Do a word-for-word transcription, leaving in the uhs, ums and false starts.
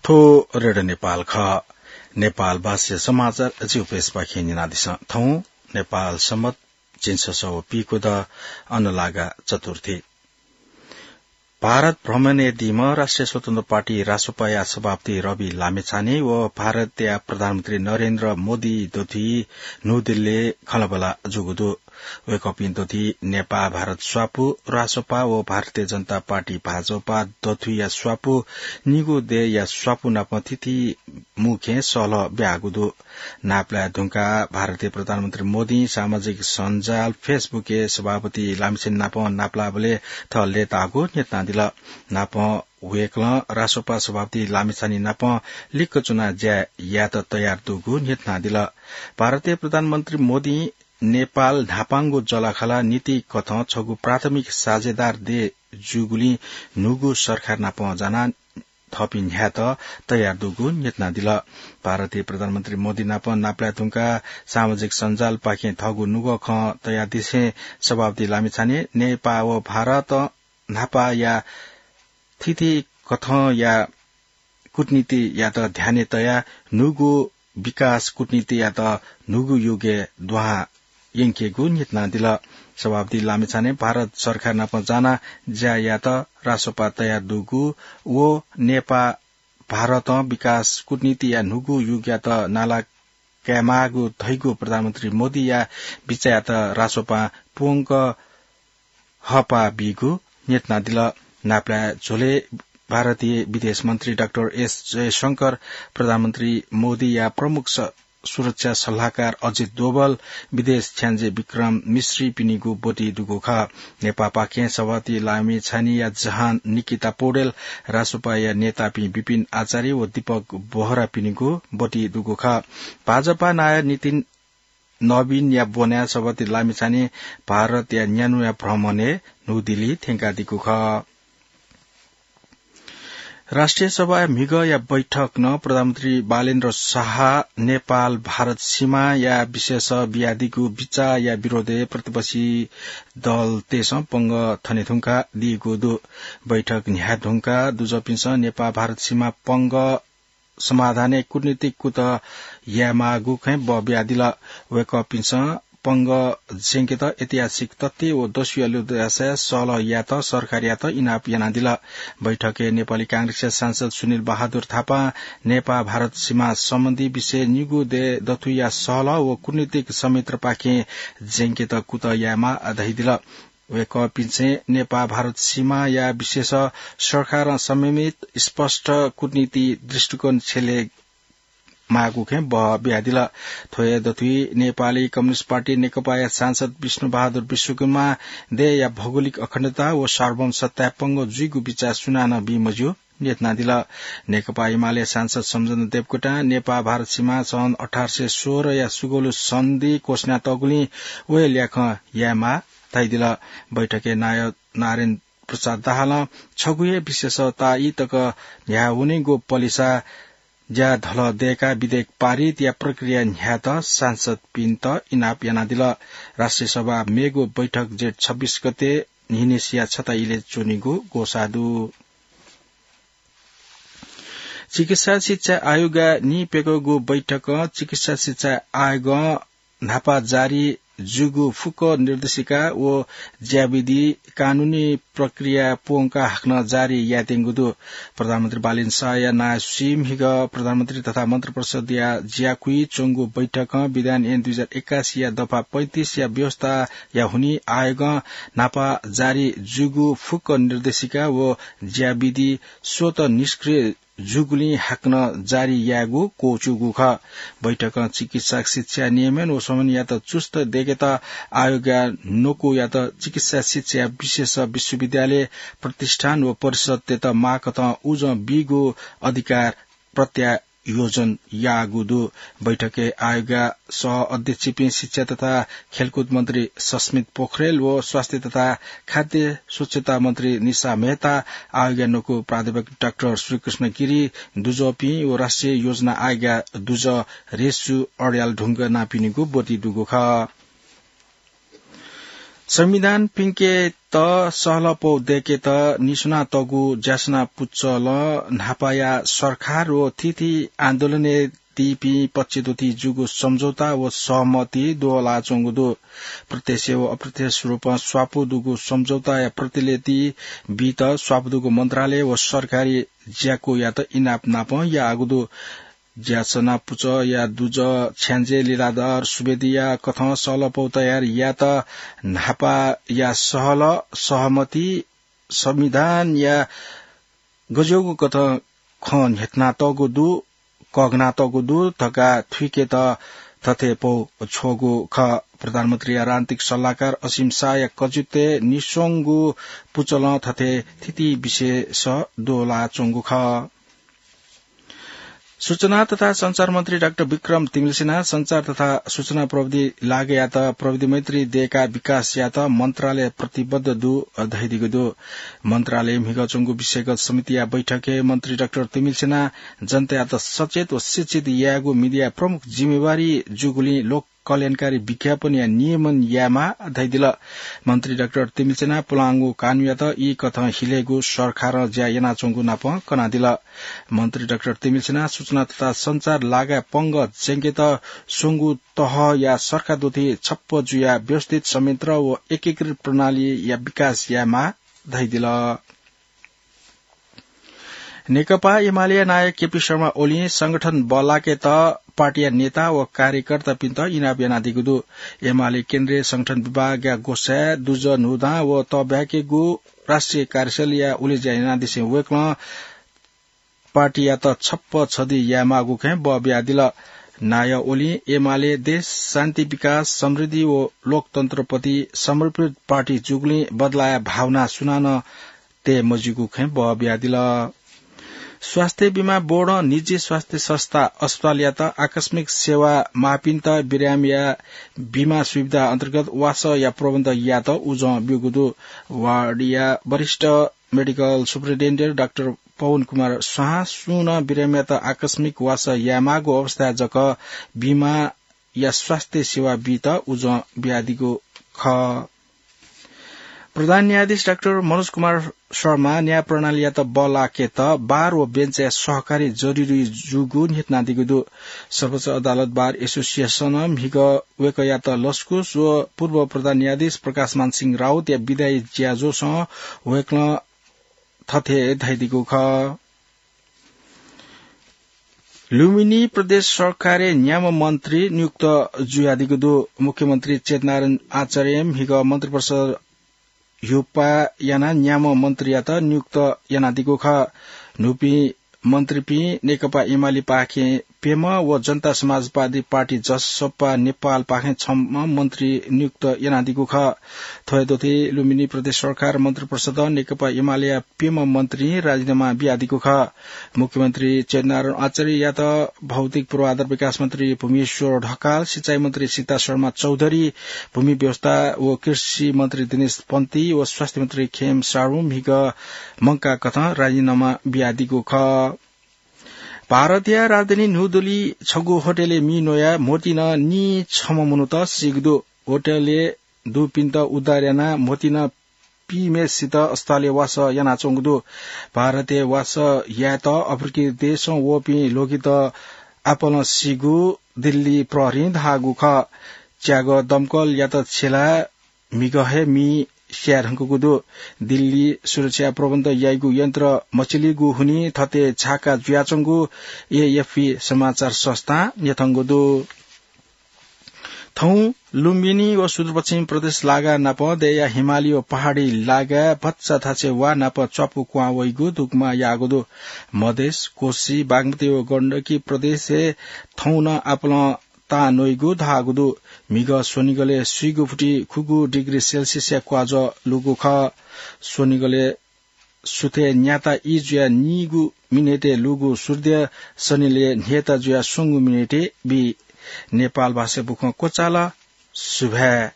थ्व रेडियो नेपाल खः। नेपाल भाषा समाचार जिगु प्रेसपाखें न्यनादिसँ। थौं नेपाल सम्बत झिंछसः व पीकुदँ अनुलागा चतुर्थी। भारत भ्रमणय् दीम्ह राष्ट्रिय स्वतन्त्र पार्टी रासोपाया सभापति रवि लामिछाने व भारतया प्रधानमन्त्री नरेन्द्र मोदी दथुइ न्हूदिल्लीय् खँल्हाबल्हा जूगु दु। वय्कःपिं दथुइ नेपाः भारत स्वापू रासोपा व भारतीय जनता पार्टी भाजपा दथुइया स्वापू निगू देय्‌या स्वापू नाप थीथी मुखें सहलह ब्याःगु दु। नापलाये धुंकाः भारतीय प्रधानमन्त्री मोदीं सामाजिक सञ्जाल Facebook-य् सभापति लामिछाने नाप नापलाःबलय् थः लय्ताःगु न्ह्यथनादिल। नापं वय्कलं रासोपा सभापति लामिछाने नाप लिक्क च्वनाः ज्या यायेत तयार दुगु न्ह्यथनादिल। भारतीय प्रधानमन्त्री मोदीं नेपाल न्हापांगु जःलाखःला नीतिकथं छगू प्राथमिक साझेदार देय् जूगुलिं न्हूगु सरकार नाप जानाः थःपिं न्ह्यायेत तयार दुगु न्ह्यथनादिल। भारतीय प्रधानमन्त्री मोदी नाप नापलाये धुंकाः सामाजिक सञ्जालपाखें थःगु नुगः खँ तयादिसें सभापति लामिछाने नेपाः व भारतं न्हापाया थीथी कथंया कूटनीतियात ध्यानय् तयाः न्हूगु विकास कूटनीतियात न्हूगु युगय् दुहां यंकेगु न्ह्यथनादिल। सभापति लामिछाने भारत सरकार नाप जानाः ज्या यायेत रासोपा तयार दुगु व नेपाः भारतं विकास कूटनीतिया न्हूगु युगयात नाला कायेमाःगु धइगु प्रधानमन्त्री मोदीया बिचाःयात रासोपां पूवंक हःपाः बीगु न्ह्यथनादिल। नापलाये झ्वलय् भारतीय विदेश मन्त्री डाक्टर एस जयशंकर, प्रधानमन्त्री मोदीया प्रमुख स-, सुरक्षा सल्लाहकार अजित डोवल, विदेश छ्याञ्जे विक्रम मिश्रीपिनिगु ब्वति दुगु खः। नेपाःपाखें सभापति लामिछानेया जहान निकिता पौडेल, रासोपाया नेतापिं विपिन आचार्य व दीपक बोहरापिनिगु ब्वति दुगु खः। भाजपा नायः नितिन नवीनया ब्वनाय् सभापति लामिछाने भारतया न्यान्हुया भ्रमणय् न्हूदिल्ली थ्यंकादीगु खः। राष्ट्रिय सभाया म्हिगःया बैठकं प्रधानमन्त्री बालेन्द्र शाह नेपाल भारत सीमाया विषयस बियादीगु बिचाःया विरोधय् प्रतिपक्षी दलतय्सं पंगः थने धुंकादीगु दु। बैठक न्ह्याये धुंकाः दुजःपिन्सं नेपाल भारत सीमा पंगः समाधानय् कूटनीतिक कुतः यायेमाःगु खँय् बः बियादिल। वय्कःपिन्सं पंगः ज्यंकेत ऐतिहासिक तथ्य व दस्युया लुमंसाय् सहलह यायेत सरकारयात इनाप यानादिल। बैठकय् नेपाली कांग्रेसया सांसद सुनिल बहादुर थापां नेपाः भारत सीमा सम्बन्धी विषयय् निगू देय् दथुइया सहलह व कूटनीतिक संयन्त्रपाखें ज्यंकेत कुतः यायेमाः धयादिल। वय्कःपिन्सं नेपाः भारत सीमाया विषयस सरकारं संयमित स्पष्ट कूटनीति दृष्टिकोण छ्यले माःगु खँय् बः बियादिल। थ्व हे दथुइ नेपाली कम्युनिस्ट पार्टी नेकपाया सांसद विष्णु बहादुर विश्वकर्मां देय्‌या भौगोलिक अखण्डता व सार्वभौम सत्ताय् पंगः जुइगु बिचाः सुनानं बी मज्यू न्ह्यथनादिल। नेकपा एमाले सांसद सम्झना देवकोटां नेपाः भारत सीमा सन् अठार सय सोह्रया सुगौली सन्धि क्वस्यानातःगुलिं व हे ल्याखं यायेमाः धयादिल। बैठकय् नायः नारायण प्रसाद दाहालं छगू हे विषयस ताःई तक न्ह्याः वनेगु पलिसा ज्या धलः दय्काः विधेयक पारितया प्रक्रिया न्ह्यायेत सांसदपिन्त इनाप यानादिल। राष्ट्रिय सभा मेगु बैठक जेठ छब्बीस गते न्हिनय्सिया छता इलय् च्वनीगु ग्वसाः दु। चिकित्सा शिक्षा आयोगया निप्यघौगु बैठकं चिकित्सा शिक्षा आयोगं न्हापा जारी जूगु फुक्क निर्देशिका व ज्याविधि कानूनी प्रक्रिया पूवंकाः हाकनं जारी यायेत्यंगु दु। प्रधानमन्त्री बालेन शाहया नायःसुइ म्हिगः प्रधानमन्त्री तथा मन्त्रिपरिषदया ज्याकुइ च्वंगु बैठकं विधान ऐन दुई हजार एकासीया दफा पैंतिसया व्यवस्थाया हुनिं आयोगं न्हापा जारी जूगु फुक्क निर्देशिका व ज्याविधि स्वतः निष्क्रिय जूगुलिं हाकनं जारी यायेगु क्वःछिउगु खः। बैठकं चिकित्सा शिक्षा नियमन व समन्वययात चुस्त दयेकेत आयोगया न्वकुयात चिकित्सा शिक्षाया विशेष विश्वविद्यालय, प्रतिष्ठान व परिषदतय्त माःकथं उजं बीगु अधिकार प्रत्यायोजन याःगु दु। बैठकय् आयोगया सह अध्यक्षपिं शिक्षा तथा खेलकुद मन्त्री सस्मित पोखरेल व स्वास्थ्य तथा खाद्य स्वच्छता मन्त्री निशा मेहता, आयोगया न्वकू प्राध्यापक डाक्टर श्रीकृष्ण गिरी, दुजःपिं व राष्ट्रिय योजना आयोगया दुजः रेशु अर्याल ढुङ्गानापिनिगु ब्वति दुगु खः। संविधान पिंकेत सहलपौ दय्‌केत निस्वनातःगु ज्यासना पुचलं न्हापाया सरकार व थीथी आन्दोलनय् दीपिं पक्षद्वय् जूगु सम्झौता व सहमति दोहलाच्वंगु दु। प्रत्यक्ष व अप्रत्यक्ष रूपं स्वापू दुगु सम्झौताया प्रतिलिपि बीत स्वापू दुगु मन्त्रालय व सरकारी ज्याकुयात इनाप नापं याःगु दु। ज्यासना पुचःया दुजः छ्याञ्जे लीलाधर सुवेदीया कथं सहलपौ तयार यायेत न्हापाया सहल, सहमति, संविधानया गज्याःगु कथं खँ न्ह्यथनातःगु दु, कःघनातःगु दु धकाः थुइकेत थथे पौ छ्वःगु खः। प्रधानमन्त्रीया राजनीतिक सल्लाहकार असीम शाहया कजित्वय् निस्वंगु पुचलं थथे थीथी विषय दोहलाच्वंगु खः। सूचना तथा सञ्चार मन्त्री डाक्टर विक्रम तिमिल्सिनां सञ्चार तथा सूचना प्रविधि लागायात प्रविधि मैत्री दय्‌काः विकास यायेत मन्त्रालय प्रतिबद्ध दु धयादीगु दु। मन्त्रालयय् म्हिगः च्वंगु विषयगत समितिया बैठकय् मन्त्री डाक्टर तिमिल्सिनां जनतायात सचेत व शिक्षित यायेगु मिडियाया प्रमुख जिम्मेवारी जूगुलिं लोक कल्याणकारी विज्ञापनया नियमन यायेमाः धयादिल। मन्त्री डाक्टर तिमिल्सिनां पुलांगु कानूयात ई कथं हिलेगु सरकारं ज्या यानाच्वंगु नापं कनादिल। मन्त्री डाक्टर तिमिल्सिनां सूचना तथा सञ्चार लागाय् पंगः ज्यंकेत स्वंगु तहया सरकार द्वथी छप्प जुयाः व्यवस्थित संयन्त्र व एकीकृत प्रणालीया विकास यायेमाः धयादिल। नेकपा एमालेया नायः केपी शर्मा ओलीं संगठन बल्लाकेत पार्टीया नेता व कार्यकर्तापिन्त इनाप यानादीगु दु। एमाले केन्द्रीय संगठन विभागया ग्वसाय् दुजः न्हूदँ व तःब्याकेगु राष्ट्रिय कार्यशैलीया उलेज्या यानादिसें वय्‌कलं पार्टीयात छप्प छधी यायेमाःगु खँय् बः बियादिल। नायः ओलीं एमाले देश, शान्ति, विकास, समृद्धि व लोकतन्त्रप्रति समर्पित पार्टी जूगुलिं बदलाया भावना सुनानं तये मज्यूगु खँय् बः बियादिल। स्वास्थ्य बीमा बोर्डं निजी स्वास्थ्य संस्था अस्पतालयात आकस्मिक सेवा माःपिन्त बिरामीया बीमा सुविधा अन्तर्गत वासःया प्रबन्ध यायेत उजं ब्यूगु दु। वार्डया वरिष्ठ मेडिकल सुपरिन्टेन्डेन्ट डाक्टर पवन कुमार स्वाहां सुं नं बिरामीयात आकस्मिक वासः यायेमाःगु अवस्थाय् जक बीमाया स्वास्थ्य सेवा बीत उजं बियादीगु खः। प्रधान न्यायाधीश डाक्टर मनोज कुमार शर्मा न्याय प्रणालीयात बल्लाकेत बार व बेन्चया सहकारी जरुरी जूगु न्ह्यथनादीगु दु। सर्वोच्च अदालत बार एसोसिएसनं म्हिगः वय्‌कःयात लसकुस व पूर्व प्रधान न्यायाधीश प्रकाशमान सिंह राउतया बिदायी ज्याझ्वलय् वय्‌कलं थथे धयादीगु खः। लुम्बिनी प्रदेश सरकारय् न्याम्ह मन्त्री नियुक्त जुयादीगु दु। मुख्यमन्त्री चेतनारायण आचार्यं म्हिगः मन्त्रिपरिषद ह्युपाः यानाः न्याम्ह मन्त्रीयात नियुक्त यानादीगु खः। न्हूपिं मन्त्रीपिं नेकपा एमालेपाखें प्यम्ह व जनता समाजवादी पार्टी जसपा नेपालपाखें छम्ह मन्त्री नियुक्त यानादीगु खः। थ्व हे दथुइ लुम्बिनी प्रदेश सरकार मन्त्रिपरिषदं नेकपा एमालेया प्यम्ह मन्त्रीं राजीनामा बियादीगु खः। मुख्यमन्त्री चेतनारायण आचार्ययात भौतिक पूर्वाधार विकास मन्त्री भूमेश्वर ढकाल, सिँचाइ मन्त्री सीता शर्मा चौधरी, भूमि व्यवस्था व कृषि मन्त्री दिनेश पन्ती व स्वास्थ्य मन्त्री खेम सारु म्हिगः मंकाः कथं राजीनामा बियादीगु खः। भारतया राजधानी न्यू दिल्ली छगू होटलय् मि न्वयाः म्होतिं नीछम्ह मनूत सीगु दु। होटलय् दुपिन्त उद्धार यानाः म्होतिं पीम्हेसित अस्पतालय् वासः यानाच्वंगु दु। भारतय् वासः यायेत अफ्रिकी देशं वःपिं ल्वगित आपालं सीगु दिल्ली प्रहरीं धाःगु खः। च्यागः दमकलयात छ्यलाः म्हिगः हे मि स्याये धुंकूगु दु। दिल्ली सुरक्षा प्रबन्ध याइगु यन्त्र मछिलीगु हुनिं थथे झाका जुयाच्वंगु एएफपी समाचार संस्थां न्यंकूगु दु। थौं लुम्बिनी व सुदूरपश्चिम प्रदेश लागा नाप देया हिमाली व पहाडी लागाय् भचा थासय् वा नाप च्वापु क्वहां वइगु दुग्मा याःगु दु। मधेस, कोशी, बागमती व गण्डकी प्रदेशय् थौं नं आपालं तां न्वइगु धाःगु दु। म्हिगः स्वनिगलय् स्वीगु फुति खुगू डिग्री सेल्सियसया क्वाजः लूगु खः। स्वनिगलय् सुथय् न्याता ई जुयाः नीगु मिनेटय् लूगु सूर्य सनिलय् न्ह्यता जुयाः स्वंगू मिनेटय् बी। नेपाल भाषाय् बुखँ क्वचाल। सुभाय्।